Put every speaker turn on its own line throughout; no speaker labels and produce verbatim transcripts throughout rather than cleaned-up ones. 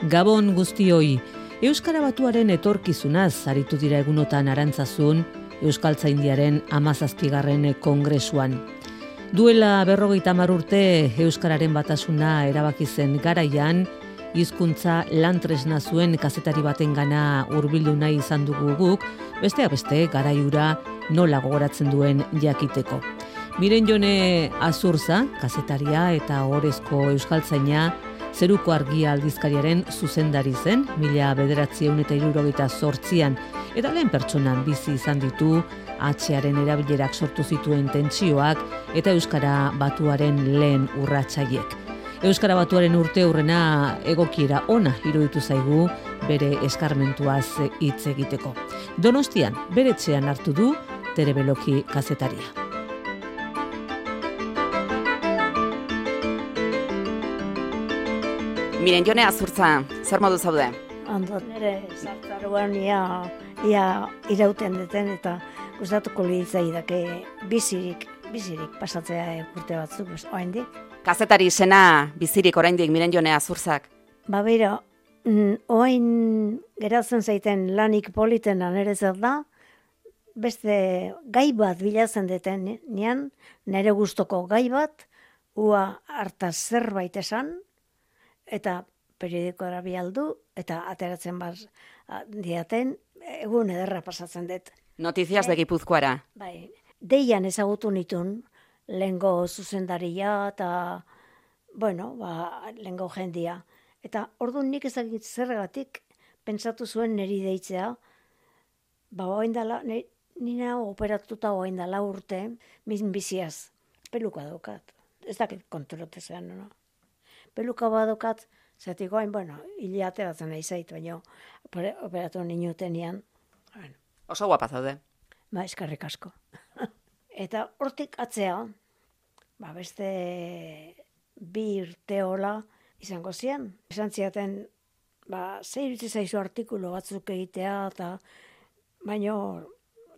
Gabon guztioi, Euskara Batuaren etorkizunaz aritu dira egunotan Arantzazun, Euskaltzaindiaren hamazazpigarren kongresuan. Duela berrogeita hamar urte Euskararen batasuna erabaki zen garaian, hizkuntza lantresna zuen kazetari batengana hurbildu nahi izan dugu guk, besteak beste garaiura nola gogoratzen duen jakiteko. Miren Jone Azurza, kazetaria eta ohorezko euskaltzaina, Zeruko Argia aldizkariaren zuzendari zen, mila bederatziehun eta hirurogeita zortzian, eta lehen pertsonan bizi izan ditu, hatxearen erabilerak sortu zituen tentsioak eta Euskara Batuaren lehen urratsaiek. Euskara Batuaren urte hurrena egokiera ona iruditu zaigu bere eskarmentuaz hitz egiteko. Donostian, bere etxean hartu du Tere Beloki kazetaria.
Miren Jone Azurtza, zer modu zaude?
Ondo, nire zartaruan ia, ia irauten deten eta gustatuko litzaidake bizirik, bizirik pasatzea urte batzuk, oraindik.
Kazetari sena bizirik oraindik Miren Jone Azurzak.
Ba bera, orain geratzen zaiten lanik politena nire zer da, beste gai bat bilatzen deten nian, nire gustoko gai bat, ua hartaz zerbait esan, eta periodikoa bialdu, eta ateratzen bat diaten, egun ederra pasatzen dut.
Noticias de Gipuzkoara.
Bai, deian ezagutu nitun, lehengo zuzendaria, eta, bueno, ba, lehengo jendia. Eta orduan nik ezagit zergatik, pentsatu zuen niri deitzea, ba, oindala, nina operatuta oindala urte, min biziaz, peluka daukat. Ez dakit kontrolotezean, no? Peluka badokat, zatik goain, bueno, hile ateratzen nahi zait, baina operatu ninutenian. Bueno.
Oso guapa zaude.
Ba, eskarrik asko. Eta hortik atzea, ba, beste bi urteola izango zian. Esan ziaten, ba, zei irutzi zaizu artikulu batzuk egitea, eta baina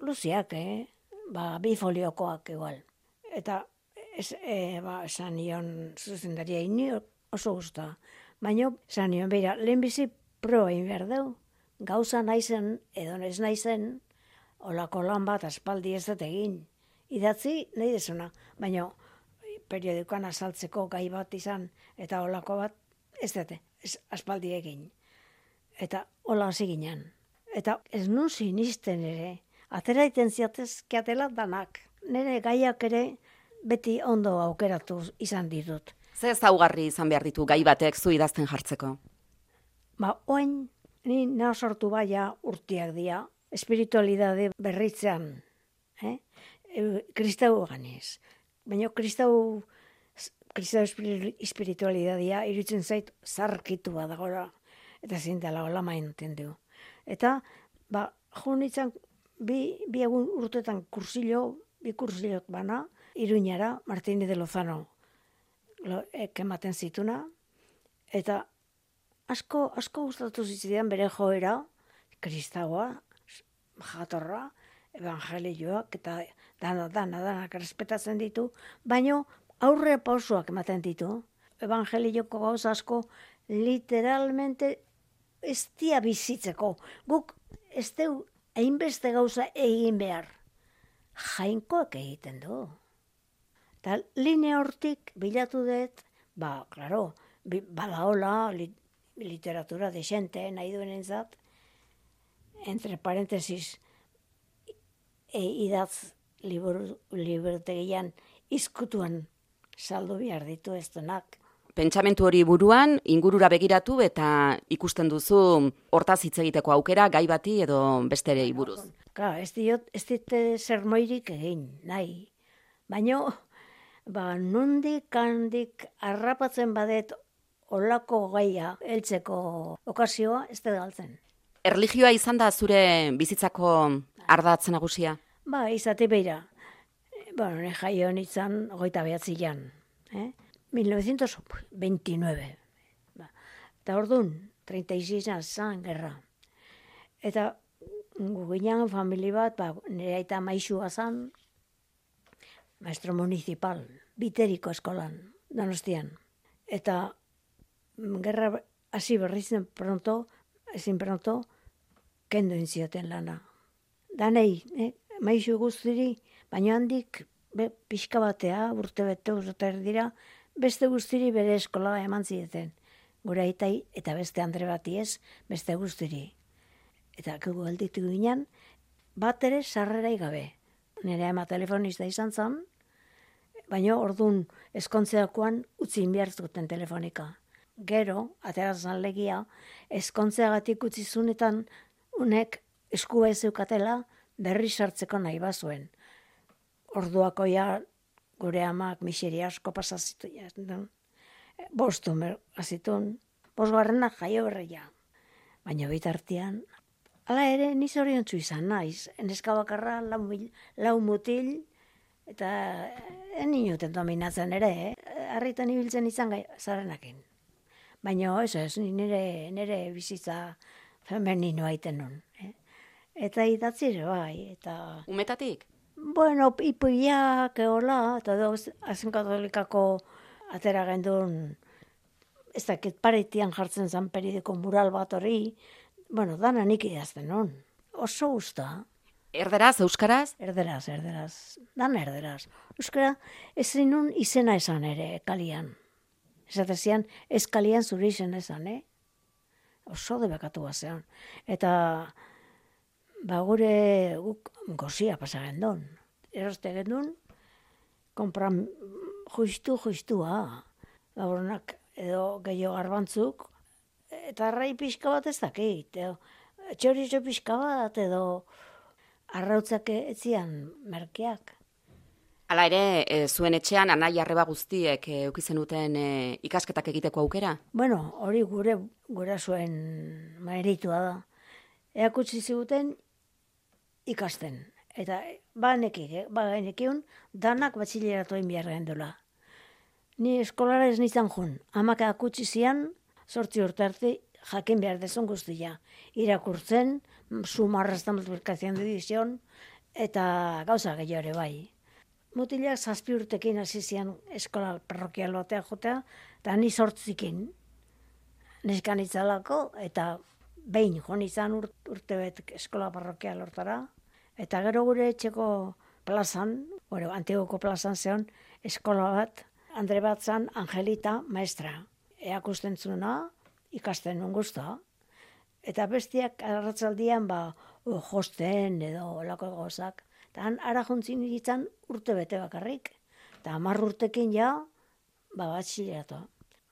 luziak, eh? Ba, bi foliokoak igual. Eta es, e, ba, esan nion zuzendaria ini oso gusta. Baina, esan nion, beira, lehenbizi proa egin behar deu. Gauza naizen, edo ez naizen, olako lan bat aspaldi ez dut egin. Idatzi, nahi desuna. Baina, periodikoan azaltzeko gai bat izan, eta olako bat, ez dute, ez aspaldi egin. Eta hola hasi ginen. Eta ez nun sinisten ere, atera iten ziatezkiatela danak. Nire gaiak ere beti ondo aukeratu izan ditut.
Ze ezaugarri izan behar ditu gai batek zu idazten jartzeko?
Ba, oin, ni nao sortu baia urtiak dira, espiritualidade berritzean, eh? E, kristau ganez. Baina kristau, kristau espiritualidadea iruditzen zait zarkitu badagora, eta zintela hola mainten du. Eta, ba, jo nintzen, bi, bi egun urtetan kursillo, bi kursilok bana, Iruñara, Martínez de Lozano, ematen zituna, eta asko, asko gustatu zizidean bere joera, kristaua, jatorra, evangelioak, eta dana, dana, danak respetatzen ditu, baino aurre pausoak ematen ditu. Evangelioko gauza asko literalmente ez dia bizitzeko. Guk ez deu hainbeste gauza egin behar. Jainkoak egiten du. Eta linea hortik bilatu dut, ba, klaro, badaola, li, literatura desente nahi duen entzat, entre parentesis, e, idatz liburutegian izkutuan saldu behar ditu ez denak.
Pentsamentu hori buruan, ingurura begiratu eta ikusten duzu hortaz hitz egiteko aukera gai bati edo besterei buruz.
Ka, ez diot, ez dite zermoirik egin, nahi. Baina, ba, nondik handik harrapatzen badet olako gaia heltzeko okazioa ez da galtzen.
Erlijioa izan da zure bizitzako ardatz nagusia?
Ba, izate beira. Bueno, ne jaio nintzen hogeita behatzian. Eh? mil novecientos veintinueve. Ba. Eta orduan, treinta y seis zan gerra. Eta guginan famili bat, ba, nire aita maixua zan, maestro municipal, biteriko eskolan, Donostian. Eta gerra hasi berrizen pronto, ezin pronto, kendu inzioten lana. Danei, eh, maizu guztiri, baina handik, be, pixka batea, urte bete urte dira, beste guztiri bere eskola eman zieten. Gure aitai, eta beste Andre bati ez, beste guztiri. Eta gugu alditu ginen, bat ere sarrerai gabe. Nire ama telefonista izan zen, baina orduan eskontzeakoan utzi behar zuten telefonika. Gero, aterazan legia, eskontzeagatik utzi zunetan unek eskua ez eukatela berri sartzeko nahi bazuen. Orduako ja gure amak miseria asko pasazitu. Bostu azitun, bosgarrenak jaio berreia. Baina bitartean, hala ere niz oriontzu izan naiz. Neska bakarra, lau, mil, lau mutil, eta en inuten dominatzen ere, eh? Harritan ibiltzen izan gai, zarenakin. Baina ez ez, nire, nire bizitza femeninoa iten nun. Eh? Eta idatzire bai, eta...
Umetatik?
Bueno, ipuiak, eola, eta doz, azen katolikako atera gendun, ez dakit paretian jartzen zan peridiko mural bat hori, bueno, dana nik idazten nun. Oso gusta.
Erderaz, euskaraz?
Erderaz, erderaz. Dana erderaz. Euskara, ezin nun izena esan ere, kalian. Esatezian, ez kalian zure izen esan, eh? Oso debekatu bazean. Eta, ba gure guk gozia pasa gendun. Eroste gendun, kompran justu, justua. Laburunak edo gehiago garbantzuk, eta arrai pixka bat ez dakit. Edo, txorizo pixka bat, edo arrautzak etzian merkeak.
Hala ere, e, zuen etxean anai arreba guztiek e, eukizen duten e, ikasketak egiteko aukera?
Bueno, hori gure gura zuen meritua da. Eakutsi ziguten ikasten. Eta ba nekik, ba nekiun, danak batxileratu egin behar gendula. Ni eskolara ez nizan jun. Amak akutsi zian, sortzi urte arte jakin behar dezun guztia. Irakurtzen, sumarraztan multiplikazion divizion, eta gauza gehiago ere bai. Mutilak zazpi urtekin hasi zian eskola parrokial batea jotea, eta ni sortzikin neskan itzalako, eta behin jon izan ur, urtebet eskola parrokial hortara, eta gero gure etxeko plazan, gure antigoko plazan zeon, eskola bat, Andre bat zan Angelita maestra. Eakusten zuna, ikasten nun guzta, eta bestiak arratzaldian ba, josten edo olako gozak. Eta han ara jontzin ditzen urte bete bakarrik. Eta hamar urtekin ja, ba batxileratua.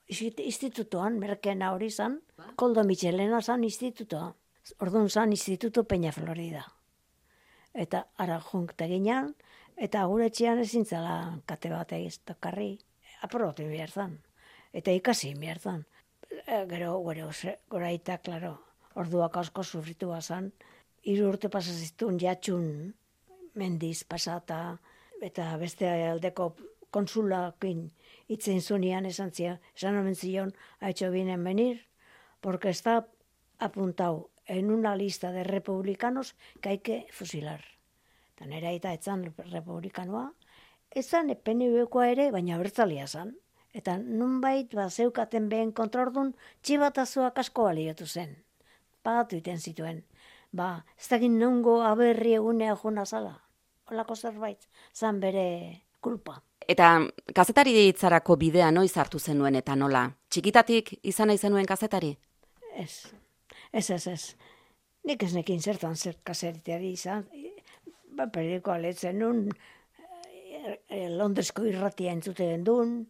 Institutoan, merkena hori zan, Koldo Michelena zan institutoa. Orduan zan instituto Peña Florida. Eta ara jonkte ginean, eta gure etxean ezin zela kate bat egiztokarri. Aprobatu behar zan. Eta ikasi behar zan. E, gero, gero, gora eta, klaro, orduak asko sufritu bazan. Hiru urte pasazitun jatxun, mendiz pasata, eta beste aldeko konsulakin itzen zunean esan zian, esan omen zion, ha hecho bien en venir, porque está apuntado en una lista de republicanos que hay que fusilar. Eta nera eta etzan republikanoa, etzan P N V-koa ere, baina abertzalia zan. Eta nunbait, ba, zeukaten behen kontraordun, txibatazoak asko baliotu zen. Pagatu iten zituen. Ba, ez dakit nongo aberri egunea jona zala. Olako zerbait, zan bere kulpa.
Eta kazetari ditzarako bidea noiz hartu zenuen eta nola? Txikitatik izan nahi zenuen kazetari?
Ez, ez, ez, ez. Nik ez nekin zertan zer kazetari izan. Ba, periodikoa lehetzen nun, e, Londresko irratia entzute duen,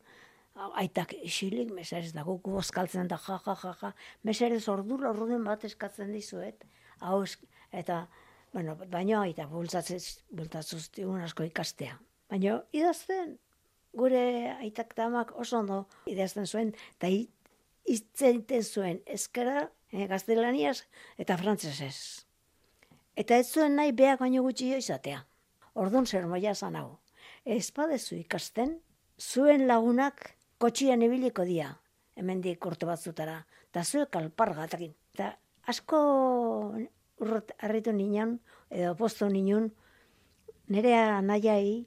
aitak isilik, meserez da guk bozkaltzen da, ja, ja, ja, ja. Meserez ordura orduen bat eskatzen dizuet, hau, eta, bueno, baina aita bultatzuz digun asko ikastea. Baina idazten, gure aitak tamak oso ondo idazten zuen, eta hitzeiten zuen eskera, eh, gaztelaniaz eta frantzesez. Eta ez zuen nahi beak baino gutxi izatea. Orduan zer moia zan hau. Ez badezu ikasten, zuen lagunak kotxian ibiliko dia, hemendik urte batzutara, eta zuek alpargatakin. Eta asko urrot harritu ninan, edo posto ninun, nire anaiai,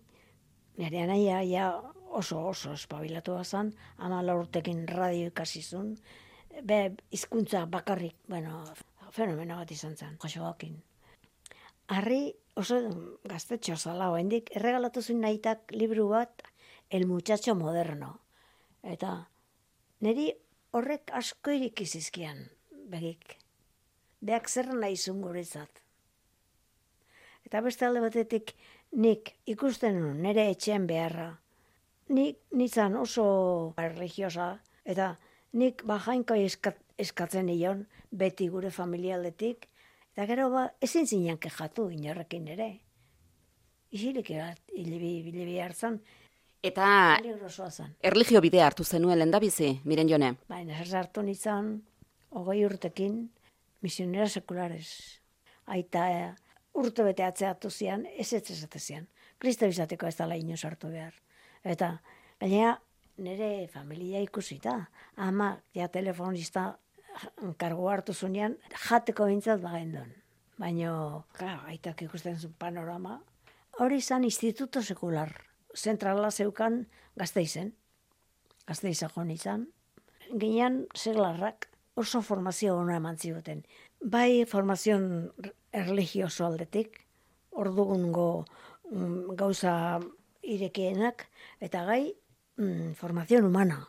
nire anaia ja oso oso espabilatu bazan, hamala urtekin radio ikasizun, be, hizkuntza bakarrik, bueno, fenomeno bat izan zen, Joseokin. Harri oso gaztetxo zala, oendik, erregalatu zuen nahitak libru bat, El muchacho moderno. Eta niri horrek asko irikizizkian, begik. Beak zer nahi zuen guretzat. Eta beste alde batetik nik ikusten nuen nire etxean beharra. Nik nintzen oso religiosa, eta nik bajainko eskatzen nion, beti gure familialdetik, eta gero ba, ezin zinen kejatu inorrekin ere. Isilik bat, hilibi hartzan,
Eta
peligrosoa zen.
erlijio bidea hartu zenuen lehendabizi, Miren Jone?
Baina ez hartu nintzen, hogei urtekin, misionera sekulares. Aita eh, urte bete atzeatu zian, ez ez ezate zian. Kristo izateko ez dala inoz hartu behar. Eta, gainera, nire familia ikusita. Ama, ja telefonista kargu hartu zunean, jateko bintzat bagendon. Baina, claro, aitak ikusten zuen panorama, hori izan instituto sekular. Zentrala zeukan Gasteizen. Gasteiza joan izan. Ginean seglarrak oso formazio hona eman zioten. Bai formazion erligioso aldetik, ordugungo mm, gauza irekienak, eta gai mm, formazion humana.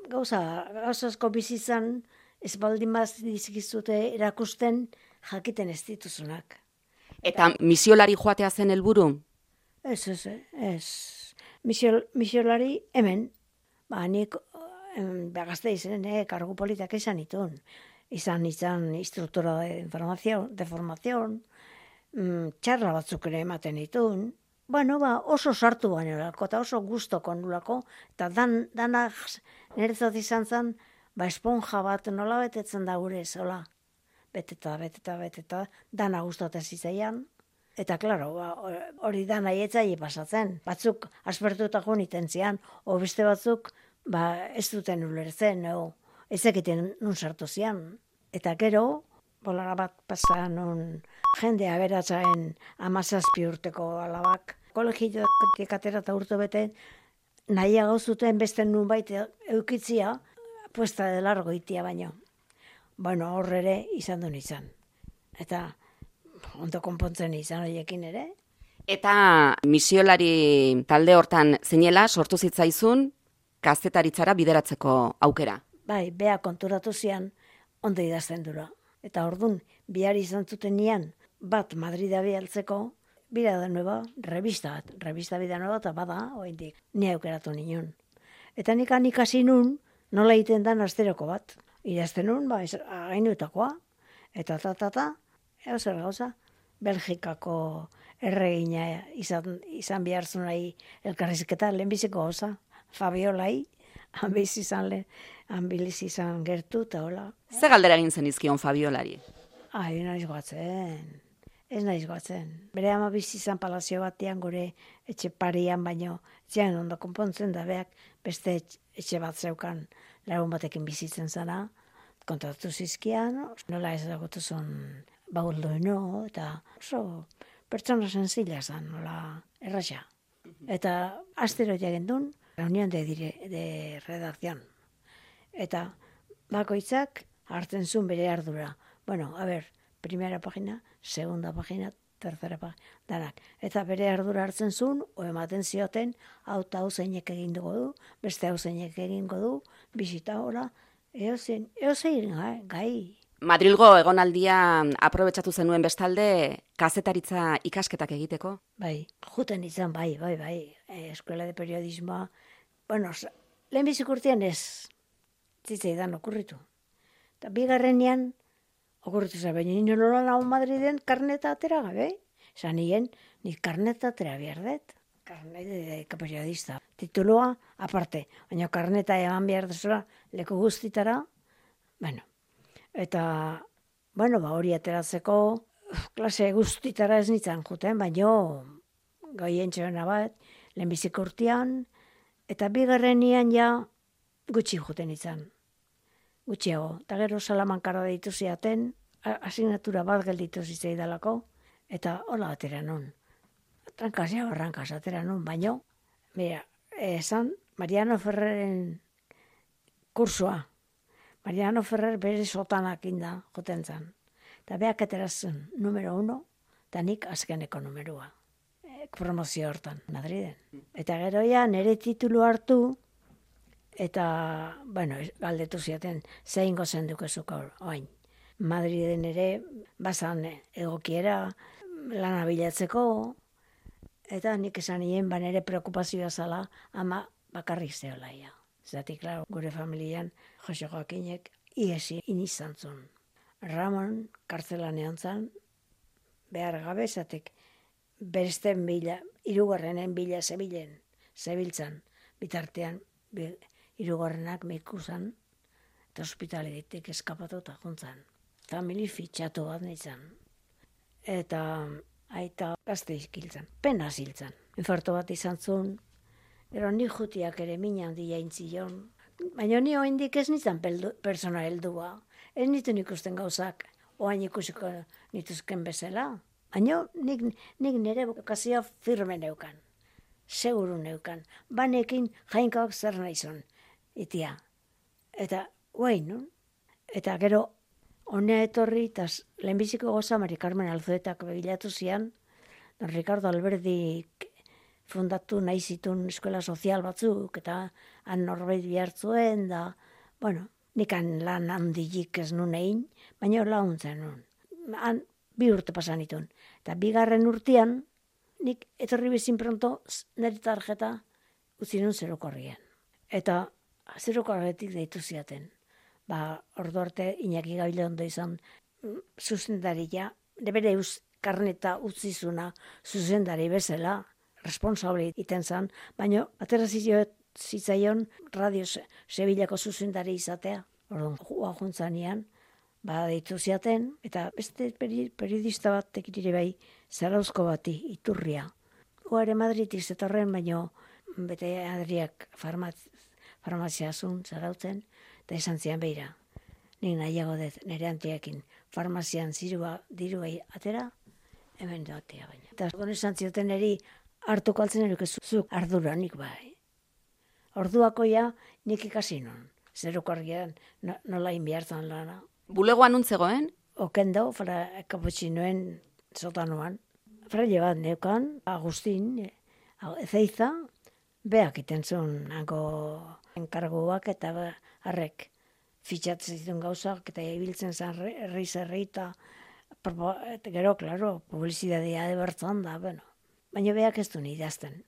Gauza, gauza asko bizitzan, ez baldin baz dizkizute erakusten jakiten ez dituzunak.
Eta misiolari joatea zen helburu?
Ez, ez, ez. Misiol, misiolari hemen, ba, nik em, Gasteizen eh, kargu politak izan itun. Izan izan instruktora de información, de formación, mm, txarra batzuk ere ematen itun. Bueno, ba, oso sartu bainolako, eta oso gustoko nulako, eta dan, danak niretzat izan zen, ba, esponja bat nola betetzen da gure zola. Beteta, beteta, beteta, dana gustatzen zitzaian. Eta, klaro, ba, hori da nahi etzai pasatzen. Batzuk aspertutako niten zian, o beste batzuk ba, ez duten ulertzen, o, ez egiten nun sartu zian. Eta gero, bolara bat pasa nun jende aberatzaen amazazpi urteko alabak, kolegiotik atera eta urte bete, nahiago zuten beste nun baita eukitzia, puesta de largo itia baino. Bueno, horre ere izan duen izan. Eta ondo konpontzen izan horiekin ere.
Eta misiolari talde hortan zinela sortu zitzaizun kazetaritzara bideratzeko aukera.
Bai, bea konturatu zian ondo idazten dura. Eta ordun bihar izan zuten nian bat Madrida bialtzeko, bira da nueva, revista bat, revista bida nueva eta bada, oindik, ni aukeratu nion. Eta nik ikasi nun, nola egiten dan asteroko bat. Idazten nun, ba, againuetakoa, eta ta, ta, ta, eo zer gauza, Belgikako erregina izan, izan bihartzun nahi elkarrizketa, lehenbiziko gauza, Fabiolai, hanbiz izan lehen, hanbiliz izan gertu, eta hola.
Ze galdera egin zen izkion Fabiolari?
Ai, naiz goatzen, ez naiz goatzen. Bere ama bizi izan palazio batean gure etxe parian, baino, etxean ondo konpontzen da beak, beste etxe bat zeukan lagun batekin bizitzen zana, kontatu zizkian, nola ez dagotu zon bauldoino, eta oso pertsona sensila zan, nola erraxa. Eta astero jagendun, reunión de, dire, de redacción. Eta bakoitzak hartzen zuen bere ardura. Bueno, a ver, primera pagina, segunda pagina, tercera pagina, danak. Eta bere ardura hartzen zuen, o ematen zioten, hau eta hau zeinek egin dugu du, beste hau zeinek egingo du, bisita hola, eozein, eozein gai, gai.
Madrilgo egonaldia aprobetxatu zenuen bestalde kazetaritza ikasketak egiteko?
Bai, juten izan, bai, bai, bai, eh, eskuela de periodismoa. Bueno, lehenbizik urtean ez, zitzaidan okurritu. Eta bigarrenean, okurritu zen, baina nino nola nago Madriden karneta atera gabe. Esan nien, nik karneta atera behar dut. Karnet de periodista. Tituloa, aparte, baina karneta eman behar duzula, leku guztitara, bueno. Eta, bueno, ba, hori ateratzeko, klase guztitara ez nintzen juten, baina goien txona bat, lehenbizik urtean, eta bigarrenian ja gutxi juten izan. Gutxiago. Eta gero Salamankara deitu ziaten, asignatura bat gelditu zitzaidalako, eta hola atera nun. Trankaz ja barrankaz atera nun, baina, mira, esan Mariano Ferreren kursua. Mariano Ferrer bere sotanak inda joten zan. Eta beak aterazen numero uno, eta nik azkeneko numerua. E, promozio hortan, Madriden. Eta gero ja nire titulu hartu, eta, bueno, galdetu ziaten, zein gozen dukezuk oain. Madriden ere, bazan egokiera, lana bilatzeko, eta nik esan nien, ba nire preokupazioa zala, ama bakarrik zehola ia. Zatik, klaro, gure familian, Jose Joakinek, iesi inizan zuen. Ramon, kartzelan egon zan, behar gabe, zatik, beresten bila, irugarrenen bila zebilen, zebiltzan, bitartean, irugarrenak meiku zan, eta ospitalitik eskapatu eta juntzan. Famili fitxatu bat nintzen. Eta aita gazte izkiltzan, pena ziltzan. Infarto bat izan zuen, ero ni jutiak ere mina handia intzion. Baina ni oindik ez nintzen persona heldua. Ez nituen ikusten gauzak, oain ikusiko nituzken bezala. Baina nik, nik nire bokazioa firme neukan. Seguru neukan. Banekin jainkoak zer naizun. Itia. Eta, guain, no? Eta gero, honea etorri, eta lehenbiziko goza Mari Carmen Alzuetak begilatu zian, don Ricardo Alberdik fundatu nahi zitun eskola sozial batzuk, eta han norbait bihartzuen, da, bueno, nikan lan handilik ez nun egin, baina laguntzen nun. Han bi urte pasan itun. Eta bigarren urtean, nik etorri bezin pronto nire tarjeta utzi nun zerokorrien. Eta zerokorretik deitu ziaten. Ba, ordu arte Iñaki Gabilondo izan zuzendaria, bere eus karneta utzizuna zuzendari bezala, responsable iten zan, baina atera zitzaion Radio Sevillako zuzendari izatea. Orduan, joa juntzanian, ba, deitu ziaten, eta beste periodista bat tekitire bai, Zarauzko bati, Iturria. Goare Madridik zetorren, baina bete Adriak farmazia zun, Zarautzen, eta esan zian behira. Nik nahiago dut nire antiekin farmazian zirua dirua atera, hemen doatea baina. Eta orduan esan zioten eri hartuko altzen erukezuzuk arduranik bai. Orduakoia nik ikasi non. Zerukorrian nola inbiartan lana.
Bulegoan nuntzegoen?
Okendo, fra kaputxinoen sotanuan. Fraile bat neukan, Agustin, Ezeiza, beak iten zuen hango enkarguak eta harrek fitxatzen zituen gauzak eta ibiltzen zen herri zerri eta gero, klaro, publizidadea ebertzan da, bueno. Baina beak ez duen idazten.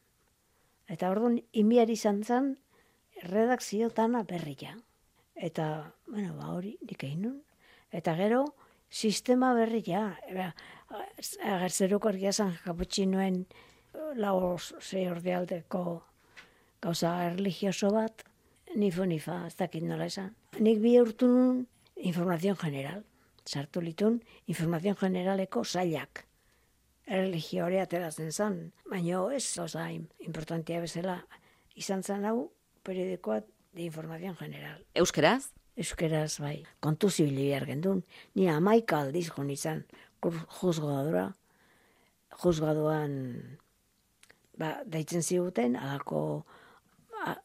Eta orduan, inbiar izan zen, redakziotana berria. Eta, bueno, ba hori, nik egin nun. Eta gero, sistema berria. Ager zerukorria zan kaputxinoen lau zei ordealdeko gauza religioso bat, nifu nifa, ez dakit nola esan. Nik bi urtu nun informazion general. Sartu litun informazion generaleko zailak. Religiore ateratzen zan, baina ez oza importantia bezala izan zan hau periodikoa de informazion general.
Euskeraz?
Euskeraz, bai. Kontu zibili behar gendun. Ni amaika aldiz jon izan juzgadura. Juzgaduan ba, daitzen ziguten, alako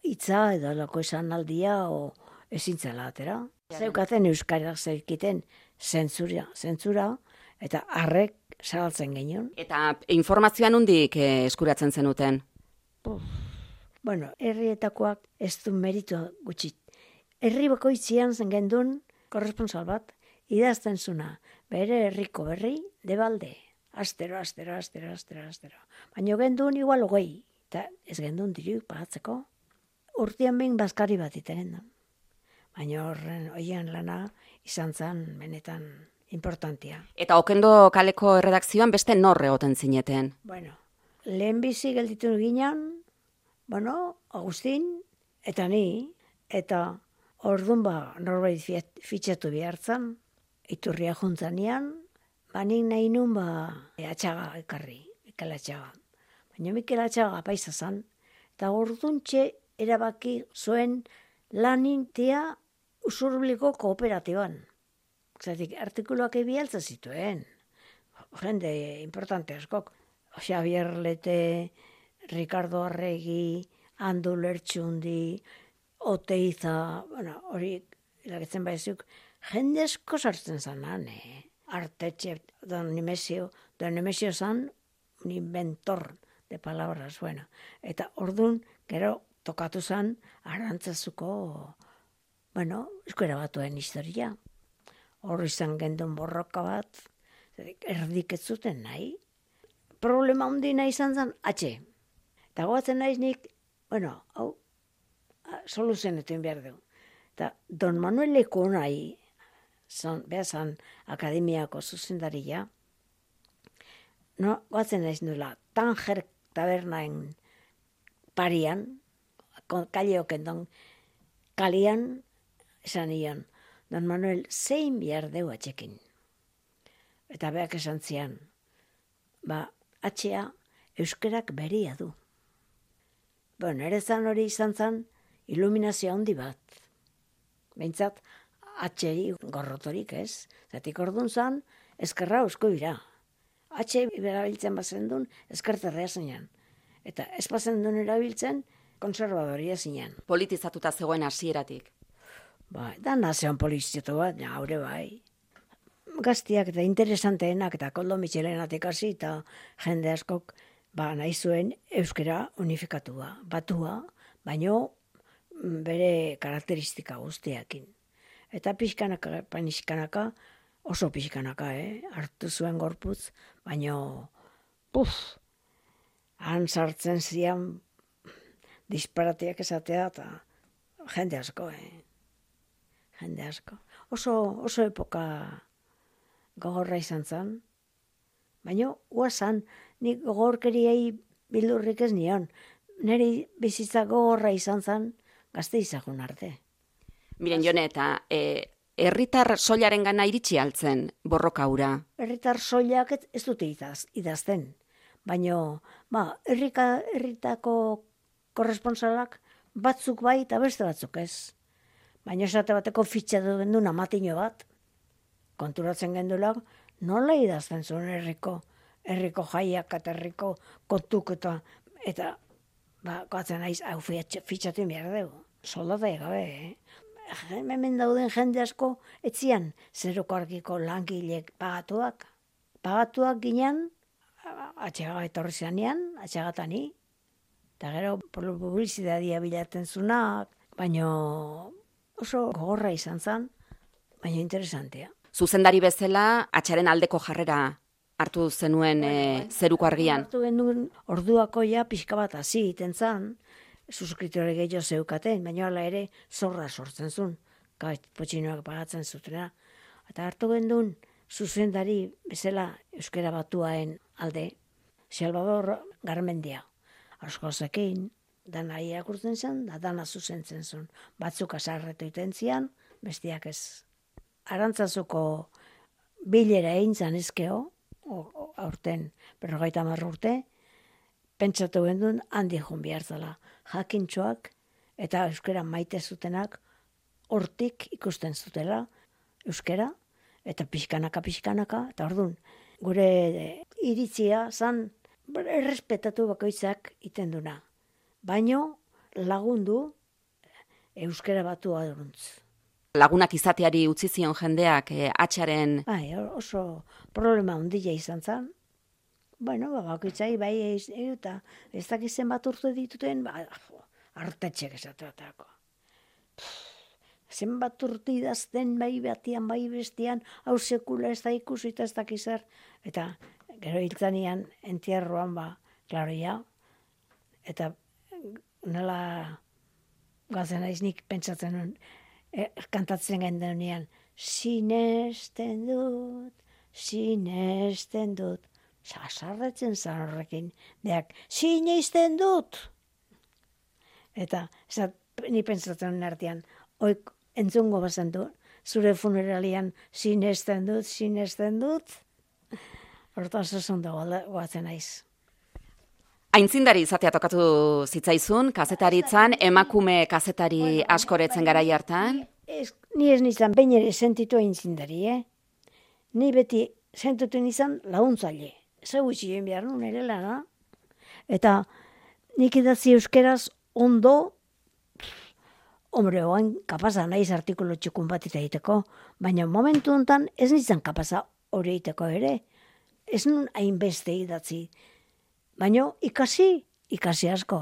hitza edo alako esan aldia o ezintzela atera. Zeukaten euskarak zeikiten zentzura, zentzura eta harrek zabaltzen genion.
Eta informazioa nondik eh, eskuratzen zenuten?
Uf. Bueno, herrietakoak ez du meritu gutxit. Herri bakoitzian zen gendun korresponsal bat, idazten zuna, bere herriko berri, debalde. Astero, astero, astero, astero, astero. Baina gendun igual hogei, eta ez gendun diru pagatzeko. Urtean behin bazkari bat iten da. Baina horren oien lana izan zen benetan importantia.
Eta Okendo kaleko erredakzioan beste norre egoten zineten?
Bueno, lehen bizi gelditu ginen, bueno, Agustin, eta ni, eta orduan ba, norbait fitxatu behartzen, Iturria juntzanean, ba nik nahi nun ba, atxaga ekarri, Mikel Atxaga. Baina Mikel Atxaga paisa zan, eta orduan txe erabaki zuen lanintea usurbliko kooperatiban. Zatik, artikuluak ebialtza zituen. Jende importante askok. Xavier Lete, Ricardo Arregi, Andu Lertxundi, Oteiza, bueno, hori iragetzen baizuk, jende asko sartzen zanan, eh? Artetxe, don Nemesio, don Nemesio zan, un inventor de palabras, bueno. Eta ordun gero, tokatu zan, Arantzazuko, bueno, euskara batuen historia. Hor izan gendun borroka bat, erdik ez zuten nahi. Problema handina izan zen, atxe. Eta goatzen naiz nik, bueno, hau, soluzionetu behar dugu. Eta Don Manuel Leko nahi, zan, beha zan, akademiako zuzendaria, no, goatzen naiz nula, Tanger tabernaen parian, kaleoken don, kalian, esan ion, Don Manuel, zein behar deu atxekin. Eta beak esan zian, ba, atxea, euskerak beria du. Bueno, ere zan hori izan zan, iluminazio handi bat. Behintzat, atxeri gorrotorik ez. Zatik ordun zan, eskerra eusko ira. Atxe erabiltzen bazen duen, eskerterrea zinean. Eta ez bazen duen erabiltzen, konservadoria zinean.
Politizatuta zegoen hasieratik.
Ba, da nazeon politizatu bat, haure bai. Gaztiak eta interesanteenak eta Koldo Michelenatik hasi eta jende askok ba, nahi zuen euskera unifikatua, batua, baino bere karakteristika guztiakin. Eta pixkanaka, pixkanaka, oso pixkanaka, eh? Hartu zuen gorputz, baino, puf, han sartzen zian disparatiak esatea eta jende asko, eh? Jende asko. Oso, oso epoka gogorra izan zen, baina guazan, nik gogorkeriei bildurrik ez nion. Neri bizitza gogorra izan zen, gazte izagun arte.
Miren Jone, eta e, herritar soilaren gana iritsi altzen borroka hura?
Herritar soilak ez, ez dute idaz, idazten, baina ba, herrika, herritako korresponsalak batzuk bai eta beste batzuk ez. Baina esate bateko fitxa duen duen amatino bat, konturatzen gendulak, nola idazten zuen herriko, herriko jaiak eta herriko kontuk eta, eta ba, goatzen naiz, hau fitxatu behar dugu. Soldata egabe, eh? Hemen dauden jende asko, etzian, zeruko argiko langilek pagatuak. Pagatuak ginen, atxega etorri zanean, atxegatani, eta gero publizidadia bilatzen zunak, baina oso gogorra izan zen, baina interesantea.
Zuzendari bezala, atxaren aldeko jarrera hartu zenuen bueno, e, zeruko argian.
Hartu genuen orduako ja pixka bat hasi iten zen, suskritore gehiago zeukaten, baina hala ere zorra sortzen zuen, potxinoak pagatzen zutena. Eta hartu genuen zuzendari bezala euskera batuaen alde, Salvador Garmendia. Askozekin, dana irakurtzen zen, da dana zuzentzen zuen. Batzuk azarretu iten zian, bestiak ez. Arantzazuko bilera egin zan ezkeo, aurten berrogeita hamar urte, pentsatu gendun handi joan bihartzala. Jakintxoak eta euskera maite zutenak hortik ikusten zutela euskera, eta pixkanaka, pixkanaka, eta orduan, gure iritzia zan errespetatu bakoitzak iten duna. Baino lagundu euskera batua duruntz.
Lagunak izateari utzi zion jendeak eh, atxaren...
Bai, oso problema handia izan zen. Bueno, bakoitzai bai eta ez dakizen bat urte dituten, ba, artetxek esateatako. Zenbat urte idazten bai batian, bai bestian, hau sekula ez da ikusi eta ez dakizar. Eta gero hiltzanian entierroan ba, klaro ja, eta nola gazen naiz nik pentsatzen nuen, e, kantatzen gendenean, sinesten dut, sinesten dut, sasarretzen zan horrekin, deak, sinesten dut! Eta, esat, ni pentsatzen nuen artean, oik entzungo bazen du, zure funeralian sinesten dut, sinesten dut, hortaz esan dago goatzen naiz.
Aintzindari izatea tokatu zitzaizun, kazetaritzan, emakume kazetari askoretzen garai hartan?
Ez, ni ez nizan, behin ere sentitu aintzindari, eh? Ni beti sentitu nizan launtzaile. Zeu itxien behar nuen ere lana. Eta nik idatzi euskeraz ondo, hombre, oain kapaza naiz artikulu txukun bat egiteko, baina momentu honetan ez nintzen kapaza hori egiteko ere. Ez nun hainbeste idatzi. Baina ikasi, ikasi asko.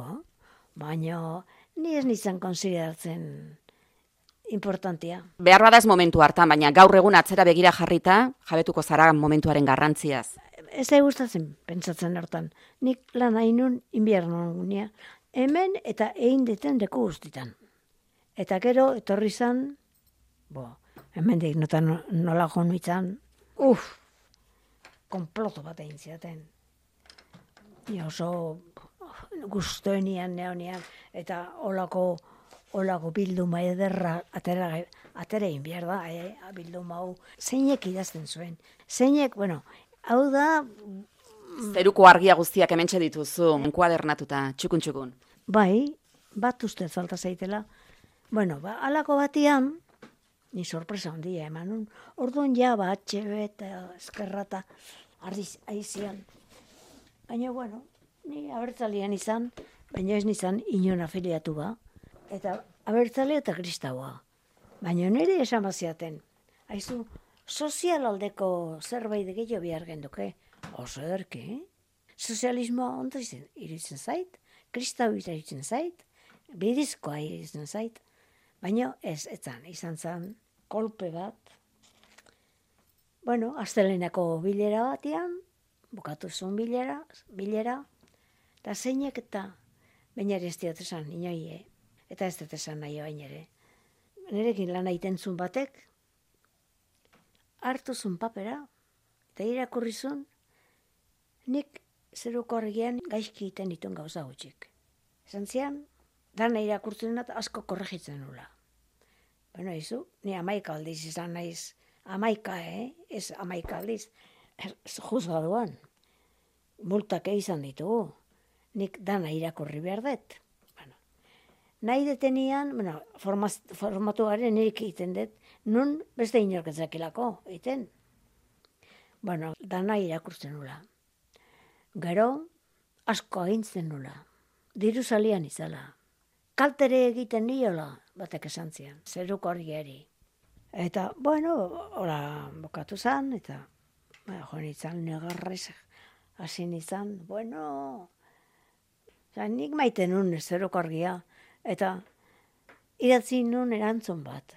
Baina ni ez nintzen konsideratzen importantia.
Behar badaz momentu hartan, baina gaur egun atzera begira jarrita, jabetuko zara momentuaren garrantziaz.
Ez da gustatzen pentsatzen hortan. Nik lan hainun inbiernon gunia. Hemen eta egin deten deku guztitan. Eta gero etorri zan, bo, hemen dik notan nola jonu izan, uff, konploto bat egin ziaten. Ni oso guztoenian, neonian, eta olako, olako bilduma ederra atera, atera egin behar da, eh, bilduma hau. Zeinek idazten zuen. Zeinek, bueno, hau da...
Zeruko argia guztiak hementxe dituzu, enkuadernatuta, txukun-txukun.
Bai, bat uste falta zaitela. Bueno, ba, alako batian, ni sorpresa handia eman. Orduan ja, ba, atxebe eta eskerrata ardiz aizian. Baina, bueno, ni abertzalian izan, baina ez nizan inon afiliatu ba. Eta abertzale eta kristaua. Baina nire esan baziaten. Aizu, sozial aldeko zerbait gehiago behar genduke. Oso ederki, eh? Sozialismoa ondo izan, iritzen zait, kristau iritzen zait, bidizkoa iritzen zait. Baina ez, etzan, izan zen kolpe bat. Bueno, astelenako bilera batian, bukatu zuen bilera, bilera, eta zeinek eta bainari ez diot esan, inoie, eta ez dut esan nahi bain ere. Nerekin lan egiten zuen batek, hartu zuen papera, eta irakurri zuen, nik zeruko argian gaizki egiten dituen gauza gutxik. Esan zian, dana irakurtzen dut asko korregitzen nula. Bueno, izu, ni amaika aldiz izan naiz, amaika, eh? Ez amaika aldiz, juzgaduan. Multak izan ditugu. Nik dana irakurri behar dut. Bueno, nahi detenian, bueno, formatuaren nik egiten dut, nun beste inorketzakilako egiten. Bueno, dana irakurtzen nula. Gero, asko agintzen nula. Diru salian izala. Kaltere egiten niola, batek esan zian, zeruko argiari. Eta, bueno, ora bokatu zan, eta ba, joan izan negarrez, hasi izan, bueno, oza, nik maite nun zeruko argia, eta idatzi nun erantzun bat.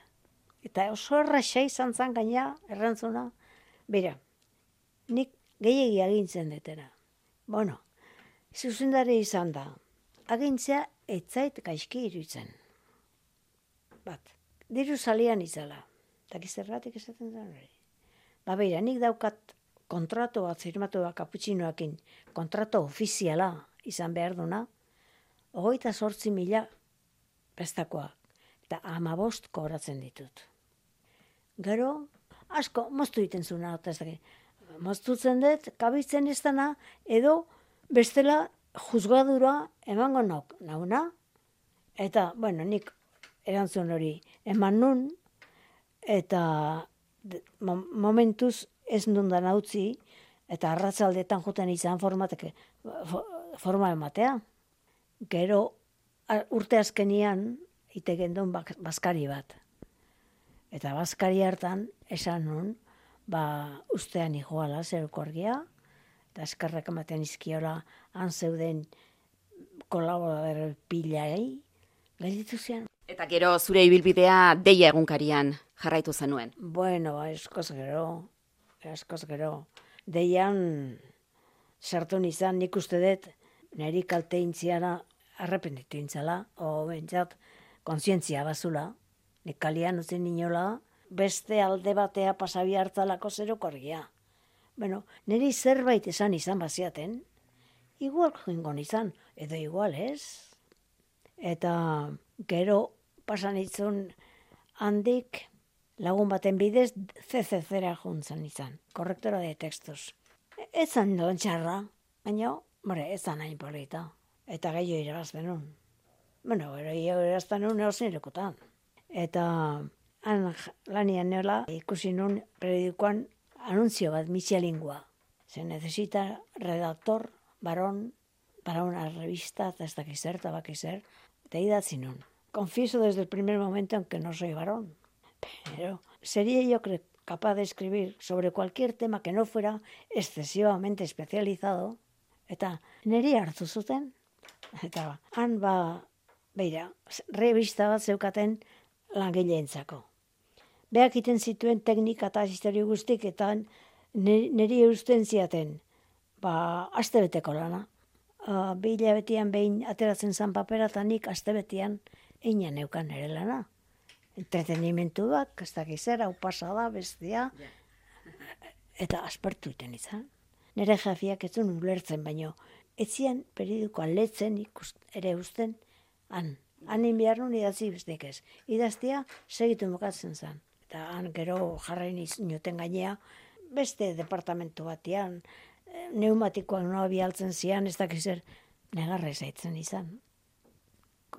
Eta oso erraxa izan zan gaina, erantzuna, bera, nik gehiegi agintzen detera. Bueno, zuzendari izan da, agintzea etzait gaizki iruditzen. Bat, diru salian izala. Eta gizerratik esaten zen hori. Ba beira, nik daukat kontrato bat firmatu da kaputxinoakin, kontrato ofiziala izan behar duna, hogeita sortzi mila prestakoa, eta amabost kobratzen ditut. Gero, asko, moztu egiten zuna, eta ez daki, moztutzen dut, kabitzen ez dana, edo bestela juzgadura emango nauk, nauna, eta, bueno, nik erantzun hori eman nun, eta momentuz ez nundan utzi, eta arratzaldetan juten izan formatek, forma ematea. Gero, urte azkenian, iteken duen bazkari bat. Eta bazkari hartan, esan nun, ba, ustean iguala zeruko argia, eta eskerrak ematen izkiola han zeuden kolaborador pilai, gelditu zian.
Eta gero zure ibilbidea Deia egunkarian jarraitu zenuen.
Bueno, eskoz gero, eskoz gero. Deian sartu nizan, nik uste dut, niri kalte intziana arrependitu intzala, o bentsat, kontzientzia bazula, nik kalian utzen inola, beste alde batea pasabi hartzalako zeruko argia. Bueno, niri zerbait esan izan baziaten, igual joingo nizan, edo igual ez. Eta gero pasan itzun handik lagun baten bidez C C Z-ra juntzen izan, korrektora de textos. Ez zan doan txarra, baina, more, ez zan hain polita. Eta gehiago irabazten nun. Bueno, gehiago irabazten nun eosin lekutan. Eta han lanian neola ikusi nun periodikoan anunzio bat Michelingua. Se necesita redactor, varón, para una revista, eta ez dakizer, eta bakizer, eta idatzi nun. confieso desde el primer momento en que no soy varón, pero sería yo creo capaz de escribir sobre cualquier tema que no fuera excesivamente especializado, eta niri hartu zuten, eta han ba, beira, revista bat zeukaten langileentzako. Beak iten zituen teknika eta historio guztik, eta niri eusten ziaten, ba, astebeteko lana. Uh, bi hilabetian behin ateratzen zan papera, eta nik astebetian einan neukan ere lana. Entretenimentu bat, ez dakiz zera, hau pasada, bestia, eta aspertu iten izan. Nere jafiak ez duen ulertzen, baino, etzian periodikoa letzen ikust, ere usten, han. Hanin behar nun idatzi bestek ez. Idaztia segitu mokatzen zen. Eta han gero jarrain inoten gainea, beste departamentu batean, neumatikoak noa bialtzen zian, ez dakiz zer, negarra zaitzen izan.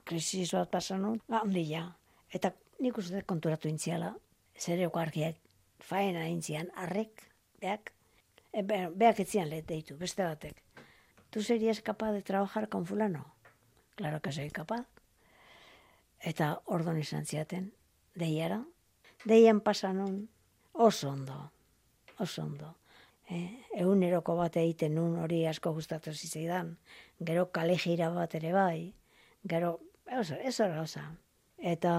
Krisis bat pasan nun, handia. Eta nik uste konturatu intziala, zereko argiak faena intzian, arrek, beak, e, be, beak etzian lehet deitu, beste batek. ¿Tu serías capaz de trabajar con fulano? Claro que soy capaz. Eta ordon izan ziaten, deiara. Deian pasanon oso ondo, oso ondo. Eh, eguneroko bat egiten nun hori asko gustatu zitzaidan. Gero kale jira bat ere bai, gero, oso, ez hori gauza. Eta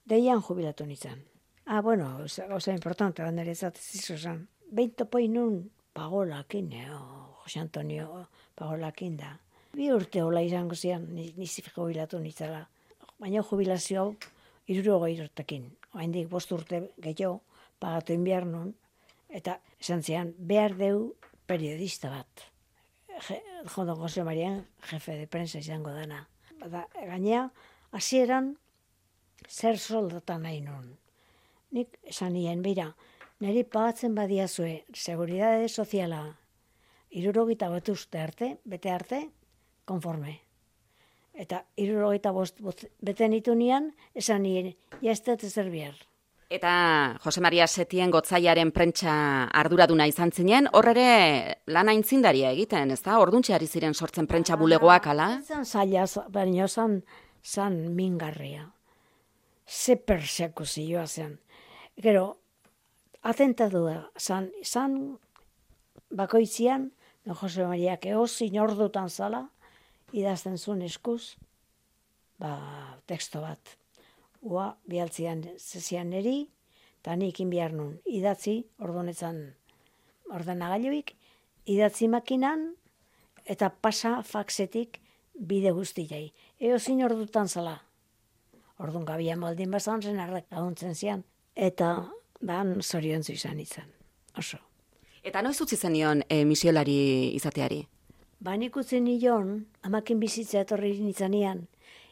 deian jubilatu nintzen. Ah, bueno, gauza importante, bandere zatzizu zen. Behin topoi nun pagolakin, o Jose Antonio pagolakin da. Bi urte hola izango zian, nizi jubilatu nintzela. Baina jubilazio hau hirurogei urtekin. Oraindik bost urte gehiago pagatu inbiar nun. Eta esan zian, behar deu periodista bat. Jondo Jose Marian, jefe de prensa izango dana. Bada, gainea, hasieran zer soldata nahi nun. Nik esan nien, bera, niri pagatzen badiazue, seguridade soziala, hirurogita bat uste arte, bete arte, konforme. Eta hirurogeita bost bete nitu nian, esan nien, jaztet ezer bihar.
Eta Jose Maria Setien Gotzaiaren prentsa arduraduna izan zinen, hor ere lan aintzindaria egiten, ez da? Orduntxe ari ziren sortzen prentsa bulegoak, ala?
Zan zaila, baina zan, zan mingarria. Ze persekuzioa zen. Gero, atentadua, zan, zan bakoitzian, no Jose Mariak eozin ordutan zala, idazten zuen eskuz, ba, teksto bat. Ua, bialtzian zezian neri, eta nik inbiar nun idatzi, ordonetzan ordenagailuik, idatzi makinan, eta pasa faxetik bide guztiai. Eo zin ordutan zala. Ordun gabia maldin bazan zen arrak laguntzen zian. Eta ban zoriontzu izan izan. Oso.
Eta noiz utzi zenion e, misiolari izateari?
Ba nik utzi nion, amakin bizitza etorri nintzanean,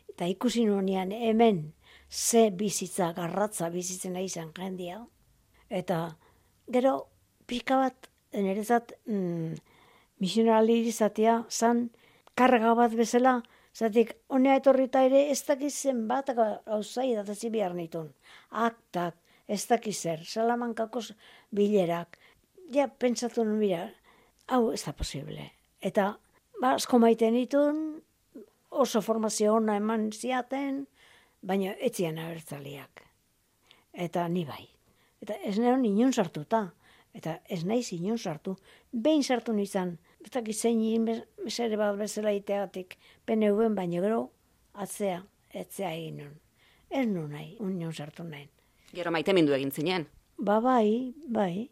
eta ikusi nunean hemen, ze bizitza, garratza bizitzen nahi izan jendia. Eta gero pixka bat, nerezat, mm, misionari izatea, zan karga bat bezala, zatik, honea etorrita ere ez dakizen bat gauzai datazi behar nitun. Aktak, ez dakizer, Salamankako bilerak. Ja, pentsatu nun bira, hau ez da posible. Eta, ba, asko maite nitun, oso formazio ona eman ziaten, baina etzian abertzaliak. Eta ni bai. Eta ez neon inun sartuta. Eta ez naiz inun sartu. Behin sartu nizan, ez dakit zein mesere bat bezala iteatik, P N V-en baina gero, atzea, etzea egin nun. Ez nun nahi, inun sartu nahi.
Gero maite mindu egin zinen?
Ba bai, bai.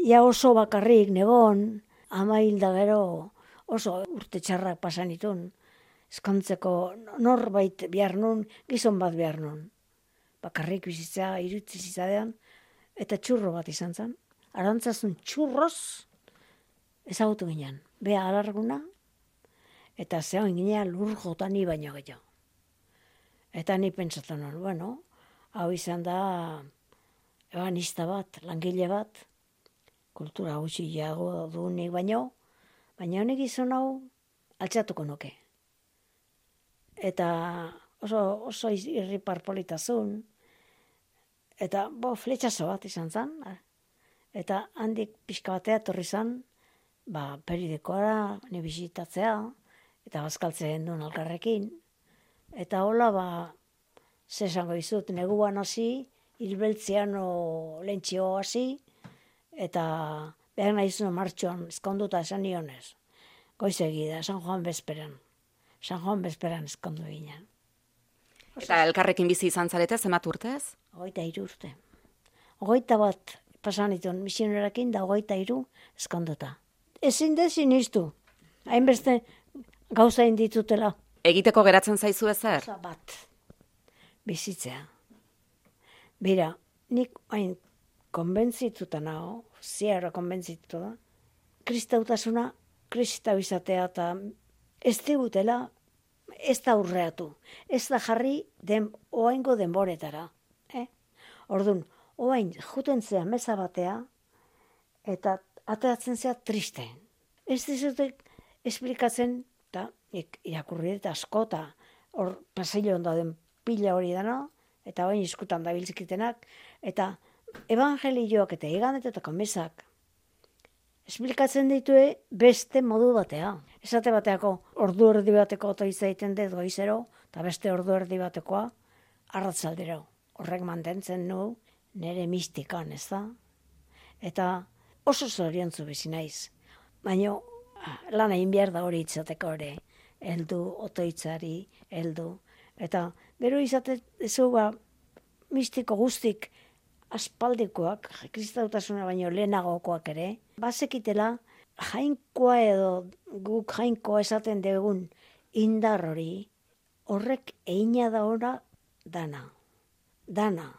Ja oso bakarrik, negon, ama hilda gero, oso urte txarrak pasan itun. Eskontzeko norbait behar nun, gizon bat behar nun. Bakarrik bizitzea, irutzi zizadean, eta txurro bat izan zen. Arantzazun txurroz, ezagutu ginen. Bea alarguna, eta zehoin ginen lur jota ni baino gehiago. Eta ni pentsatu nun, bueno, hau izan da ebanista bat, langile bat, kultura gutxi jago du nik baino, baina honek izan hau altxatuko nuke. Eta oso, oso irripar politazun, eta bo, fletxazo bat izan zen, eta handik pixka batea torri zen, ba, periodikoara, ni bisitatzea, eta bazkaltzen duen alkarrekin, eta hola, ba, ze esango izut, neguan hasi, hilbeltzean o lentzio hasi, eta behar nahizun martxoan, ezkonduta esan nionez. Goizegi da, San Juan bezperan. San Juan bezperan ezkondu ginen.
Eta elkarrekin bizi izan zarete, zenbat urtez?
Ogoita hiru urte. Ogoita bat pasan ditun misionerakin da ogoita hiru ezkonduta. Ezin da sinistu. Hainbeste gauza inditutela.
Egiteko geratzen zaizu ezer?
Gauza bat. Bizitzea. Bira, nik hain konbentzituta nago, ziarra konbentzitu da, kristautasuna, kristau izatea eta ez digutela, ez da urreatu, ez da jarri den, oaingo denboretara. Eh? Orduan, oain juten zea meza batea, eta ateratzen zea triste. Ez dizute esplikatzen, eta irakurri eta asko, eta hor pasilloan dauden pila hori dana, eta oain iskutan dabiltzikitenak, eta evangelioak eta igandetetako mesak esplikatzen ditue beste modu batea. Esate bateako ordu erdi bateko otoitza egiten dut goizero, eta beste ordu erdi batekoa arratzaldero. Horrek mantentzen nu nire mistikan, ez da? Eta oso zoriontzu bizi naiz. Baina lan egin behar da hori itzateko ere. Heldu, otoitzari, heldu. Eta gero izate zu ba, mistiko guztik aspaldikoak, kristautasuna baino lehenagokoak ere, bazekitela jainkoa edo guk jainkoa esaten dugun indar hori, horrek eina da ora dana. Dana.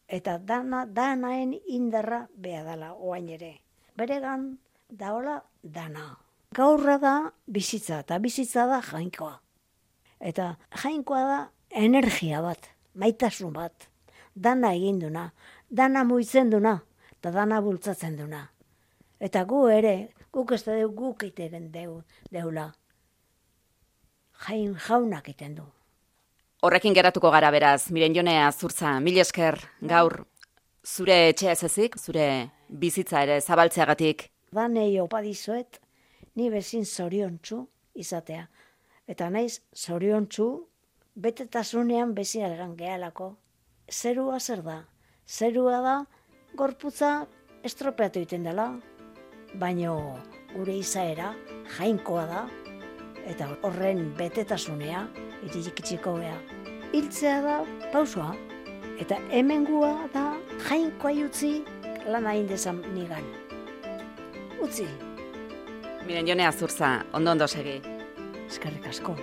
Eta dana, danaen indarra beha dala oain ere. Beregan daola dana. Gaurra da bizitza, eta bizitza da jainkoa. Eta jainkoa da energia bat, maitasun bat. Dana egin duna, dana muitzen duna, eta dana bultzatzen duna. Eta gu ere, guk ez da guk iteren deu, deula. Jain jaunak iten du.
Horrekin geratuko gara beraz, Miren Jone Azurtza, mil esker gaur zure etxea ez ezik, zure bizitza ere zabaltzeagatik.
Danei opa dizuet, ni bezin zoriontsu izatea. Eta naiz zoriontsu, betetasunean bezin algan gehalako. Zerua zer da? Zerua da, gorputza estropeatu egiten dela, baino gure izaera jainkoa da, eta horren betetasunea, iritxiko beha. Hiltzea da pausua, eta hemengua da jainkoa utzi lan hain dezan nigan. Utzi.
Miren Jone Azurtza, ondo ondo segi.
Eskerrik asko.